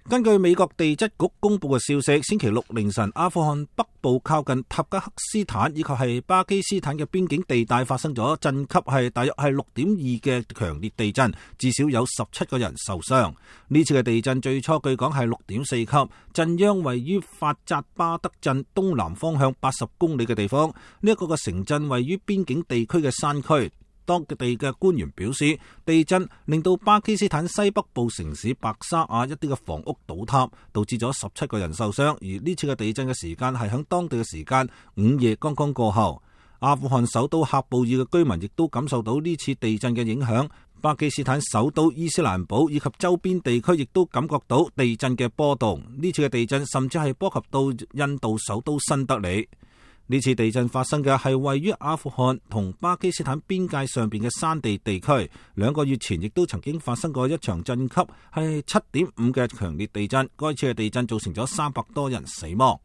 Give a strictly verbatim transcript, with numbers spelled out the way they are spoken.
根據美國地質局公布嘅消息，星期六凌晨，阿富汗北部靠近塔吉克斯坦以及係巴基斯坦嘅邊境地帶發生咗震級係大約係六點二嘅強烈地震，至少有十七個人受傷。呢次嘅地震最初據講係六點四級，震央位於法扎巴德鎮東南方向八十公里嘅地方。呢一個嘅城鎮位於邊境地區嘅山區。當地嘅官員表示，地震令到巴基斯坦西北部城市白沙瓦一啲嘅房屋倒塌，導致咗十七個人受傷。而呢次嘅地震嘅時間係響當地嘅時間午夜剛剛過後。阿富汗首都喀布爾嘅居民亦都感受到呢次地震嘅影響。巴基斯坦首都伊斯蘭堡以及周邊地區亦都感覺到地震嘅波動。呢次嘅地震甚至係波及到印度首都新德里。呢次地震發生嘅係位於阿富汗同巴基斯坦邊界上邊嘅山地地區，兩個月前亦都曾經發生過一場震級係七點五嘅強烈地震，該次嘅地震造成咗三百多人死亡。